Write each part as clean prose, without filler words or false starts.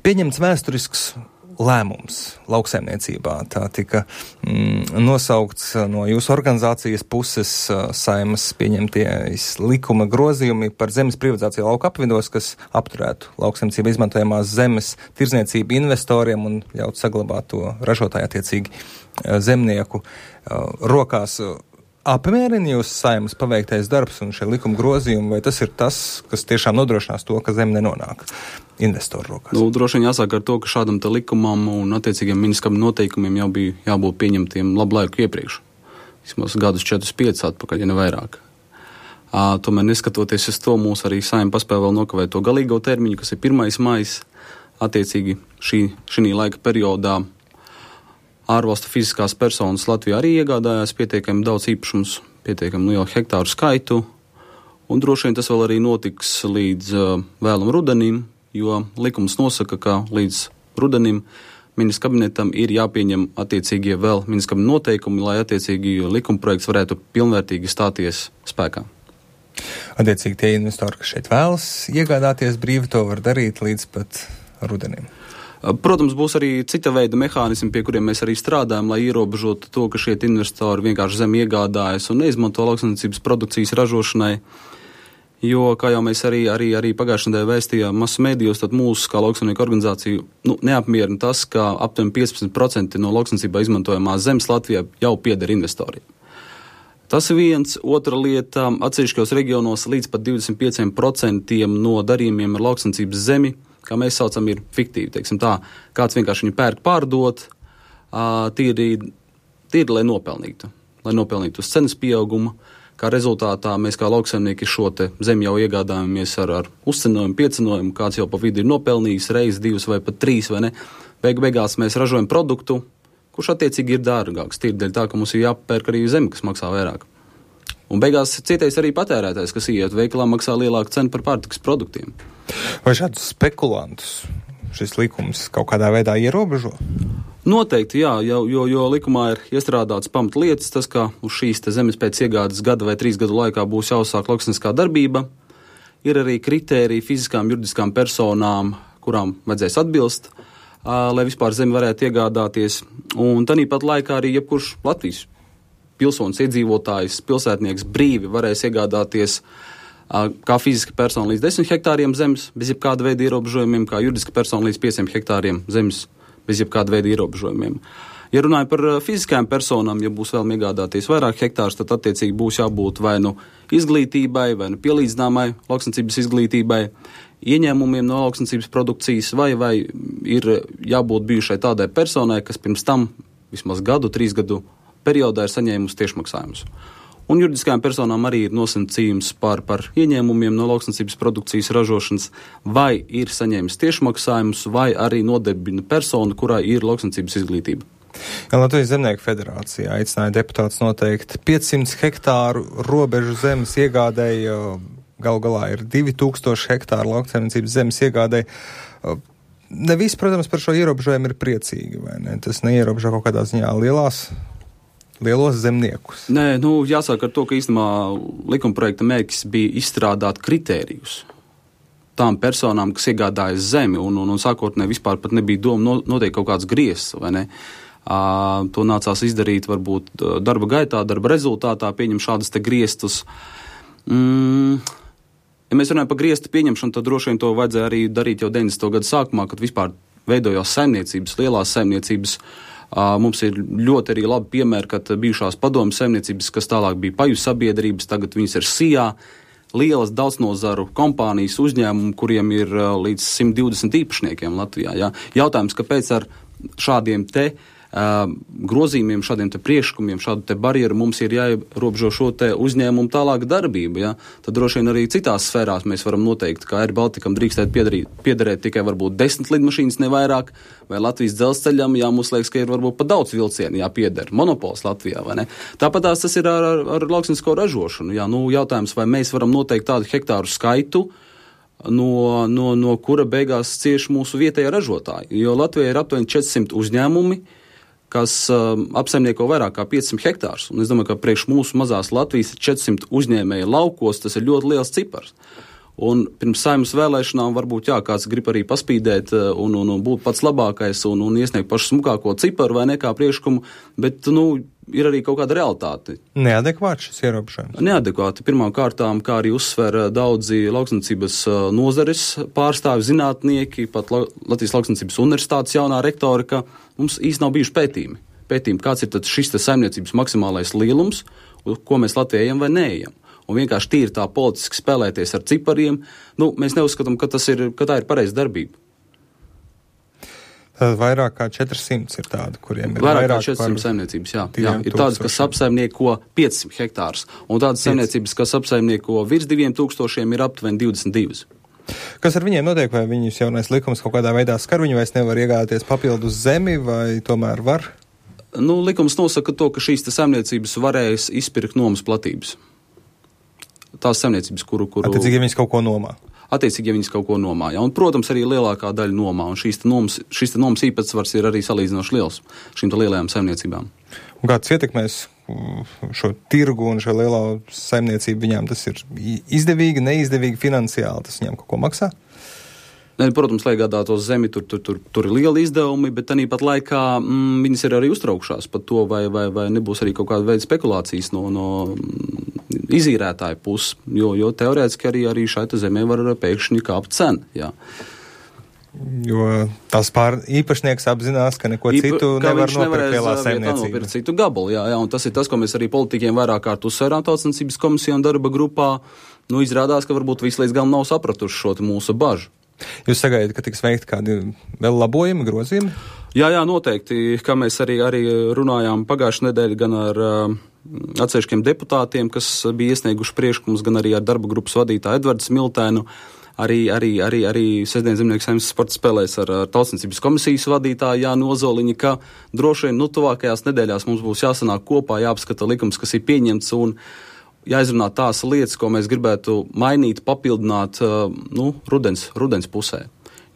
Pieņemts vēsturisks lēmums lauksaimniecībā. Tā tika nosaukts no jūsu organizācijas puses Saeimas pieņemtie likuma grozījumi par zemes privatizāciju lauku apvidos, kas apturētu lauksaimniecībā izmantojamās zemes tirdzniecību investoriem un ļaut saglabāt to ražotāju attiecīgi zemnieku rokās. Apmierina jūs Saeimas paveiktais darbs un šie likuma grozījumi, vai tas ir tas, kas tiešām nodrošinās to, ka zeme nenonāk investoru rokās? Droši vien jāsāk ar to, ka šādam te likumam un attiecīgiem ministram noteikumiem jau bija jābūt pieņemtiem labu laiku iepriekš. Vismaz gadus 4-5 atpakaļ, ja ne vairāk. Tomēr neskatoties uz to, mūs arī Saeima paspēja vēl nokavēt to galīgo termiņu, kas ir 1. maijs. Attiecīgi šī laika periodā ārvalstu fiziskās personas Latvijā arī iegādājās pietiekami daudz īpašums, pietiekami lielu hektāru skaitu, un droši vien tas vēl arī notiks līdz vēlam rudenim, jo likums nosaka, ka līdz rudenim ministra kabinetam ir jāpieņem attiecīgie vēl ministra kabineta noteikumi, lai attiecīgi likuma projekts varētu pilnvērtīgi stāties spēkā. Attiecīgi tie investori, kas šeit vēlas iegādāties brīvi, to var darīt līdz pat rudenim. Protams, būs arī cita veida mehānismi, pie kuriem mēs arī strādājam, lai ierobežotu to, ka šie investori vienkārši zemi iegādājas un neizmanto lauksaimniecības produkcijas ražošanai. Jo, kā jau mēs arī pagājušajā nedēļā vēstījām masu mēdījos, tad mūsu kā lauksaimnieku organizāciju neapmierina tas, ka aptuveni 15% no lauksaimniecībā izmantojamās zemes Latvijā jau pieder investoriem. Tas ir viens. Otra lieta, atsevišķos reģionos līdz pat 25% no darījumiem ar lauksaimniecības zemi, kā mēs saucam, ir fiktīvi, teiksim tā. Kāds vienkārši viņu pērk pārdot, tīri, lai nopelnītu uz cenas pieauguma. Kā rezultātā mēs kā lauksaimnieki šo te zemi jau iegādājamies ar uzcenojumu, piecenojumu, kāds jau pa vidu ir nopelnījis reizi, 2 vai pat 3, vai ne. Beigās mēs ražojam produktu, kurš attiecīgi ir dārgāks, tīri dēļ tā, ka mums ir jāpērk arī zemi, kas maksā vairāk. Un beigās cietais arī patērētājs, kas iet veikalā, maksā lielāku cenu par pārtikas produktiem. Vai šādus spekulantus šis likums kaut kādā veidā ierobežo? Noteikti, jā, jo likumā ir iestrādāts pamatlietas, tas, ka uz šīs te zemes pēc iegādes gada vai 3 gadu laikā būs jāuzsāk lauksaimnieciskā darbība. Ir arī kritēriji fiziskām, juridiskām personām, kurām vajadzēs atbilst, lai vispār zemi varētu iegādāties. Un tanīpat laikā arī jebkurš Latvijas pilsonis, iedzīvotājs, pilsētnieks brīvi varēs iegādāties kā fiziska persona līdz 10 hektāriem zemes bez jebkāda veida ierobežojumiem, kā juridiska persona līdz 5 hektāriem zemes bez jebkāda veida ierobežojumiem. Ja runāju par fiziskajām personām, ja būs vēl iegādāties vairāk hektārus, tad attiecīgi būs jābūt vai nu izglītībai, vai nu pielīdzināmai lauksaimniecības izglītībai, ieņēmumiem no lauksaimniecības produkcijas, vai ir jābūt bijušai tādai personai, kas pirms tam vismaz 3 gadu periodā ir saņēmusi tiešmaksājumus. Un juridiskajām personām arī ir nosacījums par ieņēmumiem no lauksaimniecības produkcijas ražošanas, vai ir saņēmis tiešmaksājumus, vai arī nodarbina personu, kurā ir lauksaimniecības izglītība. Latvijas Zemnieku federācija aicināja deputātus noteikt 500 hektāru robežu zemes iegādēji, galu galā ir 2000 hektāru lauksaimniecības zemes iegādēji. Ne visi, protams, par šo ierobežojumu ir priecīgi, vai ne? Tas neierobežo kaut kādā ziņā lielos zemniekus. Nē, jāsāk ar to, ka īstenībā likumprojekta mērķis bija izstrādāt kritērijus tām personām, kas iegādājas zemi, un sākotnēji vispār pat nebija doma noteikt kaut kāds griezts, vai ne? To nācās izdarīt varbūt darba gaitā, darba rezultātā, pieņem šādas te griestus. Ja mēs runājam par griestu pieņemšanu, tad droši vien to vajadzēja arī darīt jau 90. gadu sākumā, kad vispār veidojās saimniecības, lielās saimniecības. Mums ir ļoti arī labi piemēri, kad bijušās padomju saimniecības, kas tālāk bija paju sabiedrības, tagad viņas ir SIA, lielas daudznazaru kompānijas uzņēmumi, kuriem ir līdz 120 īpašniekiem Latvijā. Jā. Jautājums, kāpēc ar šādiem te grozījumiem, šādiem te priekšlikumiem, šādu te barjeru mums ir jāierobežo šo te uzņēmumu tālāk darbību, ja? Tad droši vien arī citās sfērās mēs varam noteikt, ka Air Baltikam drīkstēt piederēt tikai varbūt 10 lidmašīnas, ne vairāk, vai Latvijas dzelzceļam, mums liekas, ka ir varbūt pat daudz vilcienu jāpieder, monopols Latvijā, vai ne? Tāpatās tas ir ar lauksaimniecisko ražošanu, jā, jautājums, vai mēs varam noteikt tādu hektāru skaitu, no kura beigās cieš mūsu vietējā ražotāji, jo Latvijā ir aptuveni 400 uzņēmumi, kas apsaimnieko vairāk kā 500 hektārus. Un es domāju, ka priekš mūsu mazās Latvijas 400 uzņēmēja laukos, tas ir ļoti liels cipars. Un pirms Saeimas vēlēšanām varbūt, kāds grib arī paspīdēt un būt pats labākais un iesniegt pašu smukāko ciparu vai nekā priekšlikumu, bet, ir arī kaut kāda realitāte. Neadekvāti šis ierobežojums? Neadekvāti. Pirmām kārtām, kā arī uzsver daudzi lauksaimniecības nozares pārstāvi, zinātnieki, pat Latvijas Lauksaimniecības universitātes jaunā rektora, ka mums īsti nav bijuši pētījumi, kāds ir tad šis saimniecības maksimālais lielums, ko mēs Latvijā ejam vai neejam. Un vienkārši tīri tā politiski spēlēties ar cipariem, mēs neuzskatām, ka tā ir pareiza darbība. Tad vairāk kā 400 ir tādi, kuriem ir vairāk kā 400 saimniecības, jā. Ir tādas, kas apsaimnieko 500 hektārus, un tādas saimniecības, kas apsaimnieko virs 2000, ir aptuveni 22. Kas ar viņiem notiek, vai viņus jaunais likums kaut kādā veidā skar, viņi vairs nevar iegādāties papildus zemi, vai tomēr var? Likums nosaka to, ka šīs saimniecības varēs izpirkt nomas platības. Tās saimniecības, kuru... Attiecīgi, ja viņas kaut ko nomā. Attiecīgi, ja viņas kaut ko nomā. Ja? Un, protams, arī lielākā daļa nomā. Un šīs nomas īpatsvars ir arī salīdzinoši liels šīm lielajām saimniecībām. Un kāds ietekmēs šo tirgu un šo lielo saimniecību viņām? Tas ir izdevīgi, neizdevīgi finansiāli? Tas viņām kaut ko maksā? Protams, lai gādātos zemi, tur ir lieli izdevumi, bet tāpat laikā viņas ir arī uztraukšās par to, vai nebūs arī kaut kāda veida spekulācijas no izīrētāju puses, jo teorētiski arī šai zemē var pēkšņi kāpt cena, jā. Jo tās īpašnieks apzinās, ka neko citu nevar nopirkt lielā saimniecība. Nopirkt citu gabalu, jā, un tas ir tas, ko mēs arī politiķiem vairāk kārt uzsvērām Tautssaimniecības komisijā un darba grupā. Izrādās, ka varbūt visi līdz galam nav sapratuši šo mūsu bažu. Jūs sagaidat, ka tiks veikti kādi vēl labojumi, grozījumi? Jā, noteikti, kā mēs arī runājām pagājušajā nedēļā gan ar atsevišķiem deputātiem, kas bija iesnieguši priekšlikumus, gan arī ar darba grupas vadītāju Edvardu Smiltēnu. Arī Sestdienas Zemnieku Saeimas sporta spēlēs ar Tautssaimniecības komisijas vadītāju Jānu Ozoliņu, ka droši vien tuvākajās nedēļās mums būs jāsanāk kopā, jāapskata likums, kas ir pieņemts un jāizrunā tās lietas, ko mēs gribētu mainīt, papildināt rudens pusē.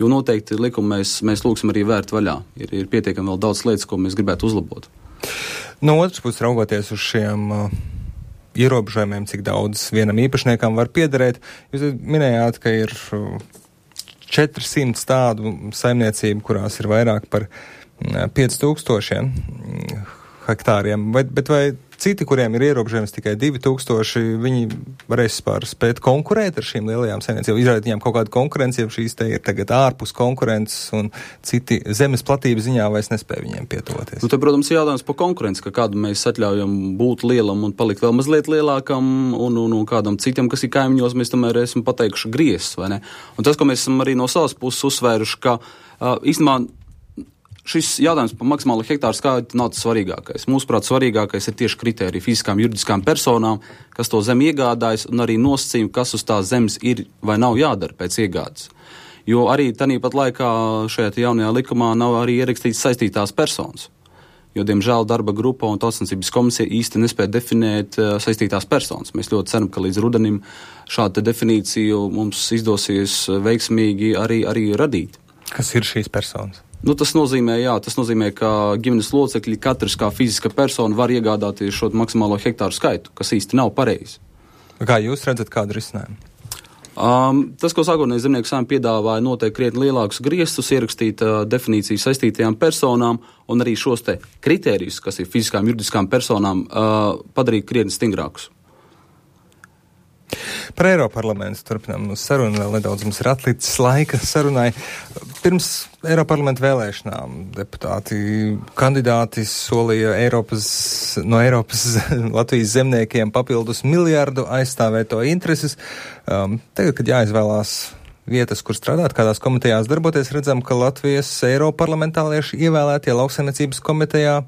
Jo noteikti likumu mēs lūgsim arī vērt vaļā. Ir pietiekami vēl daudz lietas, ko mēs gribētu uzlabot. No otras puses, raugoties uz šiem ierobežojumiem, cik daudz vienam īpašniekam var piederēt, jūs minējāt, ka ir 400 tādu saimniecību, kurās ir vairāk par 5000 hektāriem, bet vai citi, kuriem ir ierobežojums tikai 2000, viņi varēs spēt konkurēt ar šīm lielajām saimniecībām, izrādīt viņām kaut kādu konkurenci, ja šīs te ir tagad ārpus konkurences un citi zemes platības ziņā vairs nespēja viņiem pietuvoties. Te, protams, ir jautājums par konkurenci, ka kādu mēs atļaujam būt lielam un palikt vēl mazliet lielākam un kādam citam, kas ir kaimiņos, mēs tomēr esam pateikuši griezs, vai ne? Un tas, ko mēs esam arī no savas puses uzsvēruši, ka īstenībā šis jautājums par maksimālo hektāru skaitu nav tas svarīgākais. Mūsuprāt, svarīgākais ir tieši kritērija fiziskām juridiskām personām, kas to zemi iegādājas, un arī nosacījumi, kas uz tās zemes ir vai nav jādara pēc iegādes. Jo arī tāpat laikā šajā jaunajā likumā nav arī ierakstīts saistītās personas. Jo, diemžēl, darba grupa un Tautssaimniecības komisija īsti nespēja definēt saistītās personas. Mēs ļoti ceram, ka līdz rudenim šādu definīciju mums izdosies veiksmīgi arī radīt. Kas ir šīs personas? Tas nozīmē, ka ģimenes locekļi katrs kā fiziska persona var iegādāties šo maksimālo hektāru skaitu, kas īsti nav pareizi. Kā jūs redzat, kādu risinājumu? Tas, ko sākotnēji Zemnieku Saeima piedāvāja, noteikti krietni lielākus griestus, ierakstīt definīciju saistītajām personām un arī šos te kritērijus, kas ir fiziskām juridiskām personām, padarīt krietni stingrākus. Par Eiroparlamentu turpinām sarunu, vēl nedaudz mums ir atlicis laika sarunai. Pirms Eiroparlamenta vēlēšanām kandidāti solīja no Eiropas Latvijas zemniekiem papildus miljardu aizstāvēto intereses. Tagad, kad jāizvēlās vietas, kur strādāt, kādās komitejās darboties, redzam, ka Latvijas eiroparlamentālieši ievēlētie lauksaimniecības komitejā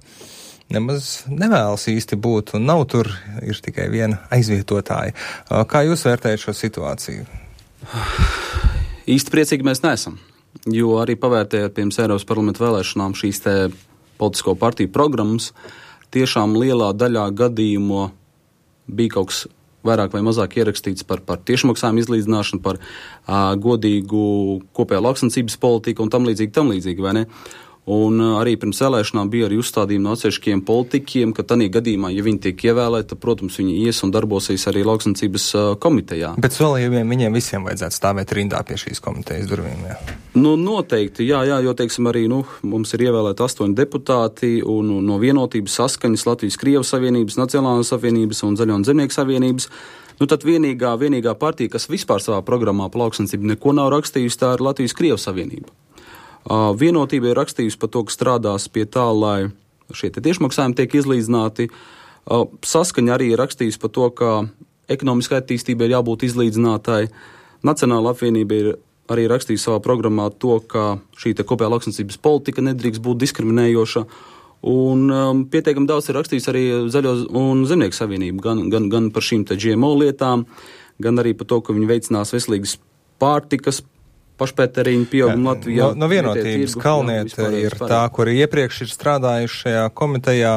nemaz nevēlas īsti būt, un nav tur, ir tikai viena aizvietotāja. Kā jūs vērtējat šo situāciju? Īsti priecīgi mēs neesam, jo arī pavērtējot pirms Eiropas parlamenta vēlēšanām šīs te politisko partiju programmas, tiešām lielā daļā gadījumu bija kaut kas vairāk vai mazāk ierakstīts par tiešmaksājumu izlīdzināšanu, par godīgu kopējo lauksaimniecības politiku un tam līdzīgi, vai ne? Un arī pirms vēlēšanām bija arī uzstādījumi no atsevišķiem politiķiem, ka tādā gadījumā, ja viņi tiek ievēlēti, tad, protams, viņi ies un darbosies arī lauksaimniecības komitejā. Bet solījumiem viņiem visiem vajadzētu stāvēt rindā pie šīs komitejas durvīm, jā? Nu, noteikti, jā, jo, teiksim, arī, mums ir ievēlēti 8 deputāti un no Vienotības, Saskaņas, Latvijas-Krievijas Savienības, Nacionālās Savienības un Zaļo un Zemnieku Savienības. Tad vienīgā partija, kas vispār savā programmā pa lauksaimniecību neko nav rakstījusi, tā ir Latvijas-Krievijas Savienība. Vienotība ir rakstījusi par to, ka strādās pie tā, lai šie tiešmaksājumi tiek izlīdzināti. Saskaņa arī ir rakstījusi par to, ka ekonomiskai attīstībai ir jābūt izlīdzinātai. Nacionāla apvienība ir arī rakstījusi savā programmā to, ka šī kopējā lauksaimniecības politika nedrīkst būt diskriminējoša. Un pietiekami daudz ir rakstījis arī Zaļo un Zemnieku Savienība, gan par šīm GMO lietām, gan arī par to, ka viņi veicinās veselīgas pārtikas pašpētēriņu pieaugumu Latvijā. No Vienotības Kalniete ir tā, kuri iepriekš ir strādājuši šajā komitejā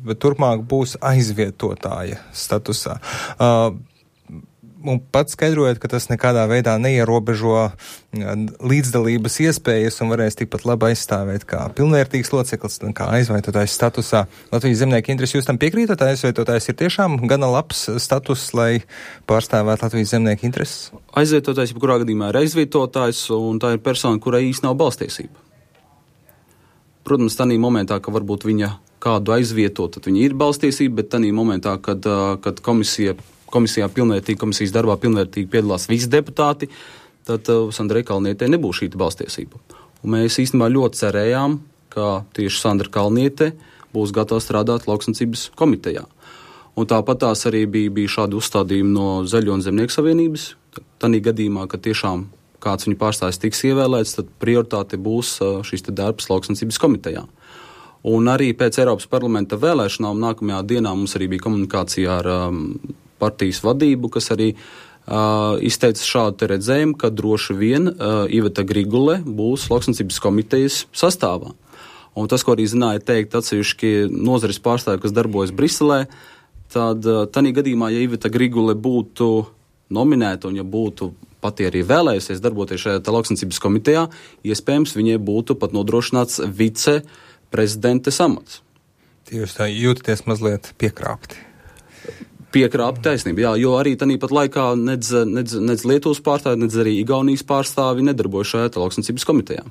bet turpmāk būs aizvietotāja statusā. Un pats skaidrojot, ka tas nekādā veidā neierobežo līdzdalības iespējas un varēs tikpat labi aizstāvēt kā pilnvērtīgs loceklis, kā aizvietotājs statusā. Latvijas zemnieku interesi jūs tam piekrītat? Aizvietotājs ir tiešām gana labs status, lai pārstāvētu Latvijas zemnieku intereses? Aizvietotājs, kurā gadījumā ir aizvietotājs, un tā ir persona, kurai īsti nav balstiesība. Protams, tādā momentā, ka varbūt viņa kādu aizvieto, tad viņa ir balstiesība, bet tādā momentā, kad komisijas darbā pilnvērtīgi piedalās visi deputāti, tad Sandrai Kalnietei nebūs šī balstiesība. Un mēs īstenībā ļoti cerējām, ka tieši Sandra Kalniete būs gatava strādāt lauksaimniecības komitejā. Un tāpat tās arī bija šādi uzstādījumi no Zaļo un Zemnieku Savienības. Tādā gadījumā, ka tiešām kāds viņu pārstāvis tiks ievēlēts, tad prioritāte būs šis darbs lauksaimniecības komitejā. Un arī pēc Eiropas parlamenta vēlēšanām nākamajā dienā mums arī bija komunikācija ar partijas vadību, kas arī izteica šādu redzējumu, ka droši vien Iveta Grigule būs lauksaimniecības komitejas sastāvā. Un tas, ko arī zināja teikt atsevišķi nozares pārstāvji, kas darbojas Briselē, tad tādā gadījumā, ja Iveta Grigule būtu nominēta un ja būtu pati arī vēlējusies darboties šajā lauksaimniecības komitejā, iespējams viņai būtu pat nodrošināts viceprezidentes amats. Jūs tā jūtaties mazliet piekrāpti. Piekrāpta taisnība, jā, jo arī tāpat laikā nedz Lietuvas pārstāvi, nedz arī Igaunijas pārstāvi nedarbojas šajā lauksaimniecības komitejā.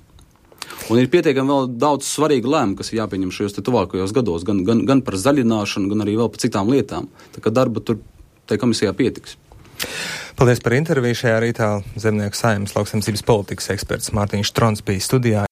Un ir pietiekami vēl daudz svarīgu lēmumu, kas ir jāpieņem šajos tuvākajos gados, gan par zaļināšanu, gan arī vēl par citām lietām. Tā kā darba tur tai komisijā pietiks. Paldies par interviju. Šajā rītā Zemnieku Saeimas lauksaimniecības politikas eksperts Mārtiņš Strons bija studijā.